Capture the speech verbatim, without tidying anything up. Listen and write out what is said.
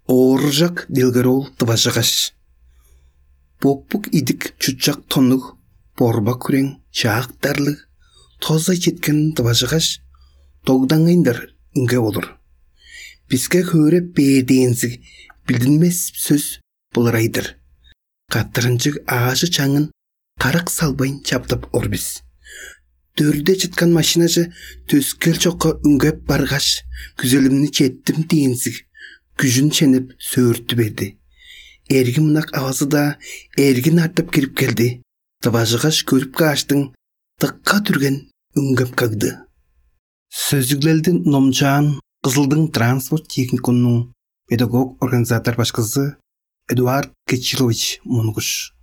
Ооржак делгер ол дыважыгаш. Боппук идик чутчак тоннуг, борбак хүрең, чаактарлыг, тоза четкен дыважыгаш, догдаңайындар үнге болур. Биске хөөреп бээр дээнзиг билдинмес сөс былырай-дыр. Каттырынчыг аажы чаңын карак салбайн чаптап ор бис. Дөрде чыткан машинаже төскел чокка үнгеп баргаш, күзелимни четтим дээнзиг күжүн ченеп сөөртү берди. Эргим ынак авазы-даа эргин артып кирип келди. Дыважыгаш көрүп кааштың, дыкка дүрген үнгеп кагды. Сөзүглелди номчаан Кызылдың транспорт техникумунуң педагог-организатор башкызы Эдуард Кечилович Монгуш.